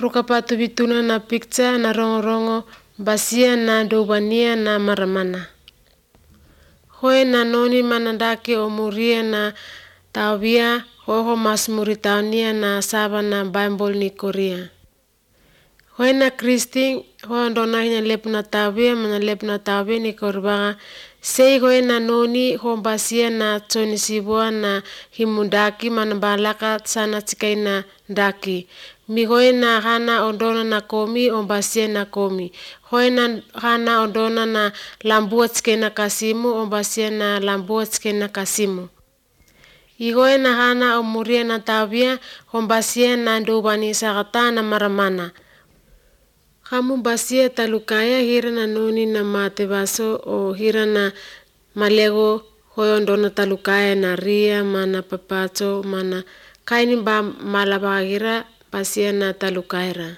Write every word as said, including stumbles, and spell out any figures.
Rukapatu vituna na picture na rongo-rongo basia na dobania na maramana. Hoe na noni manandake omuria na tawia hoho mas muritaunia na saba na Bible ni Korea. Hoe na Kristi hoe ndona hina lep na tawia mana lep na tawia ni korbaga sei hoe na noni ho basia na tsoni sibua na himundaki manabalaka sana tsikai na daki. Mi hoe na hana ondona na komi ombasia na komi. Hoe na hana ondona na lambua tsikai na kasimu ombasia na lambua tsikai na kasimu. Igoe na hana omuria na tawia ombasia na ndobani sagata na maramana. Kamu basia talukaya hira na noni na mate baso o hira na malego hoe ondona talukaya na ria mana papato mana kaini ba malabagira basia na talukaira.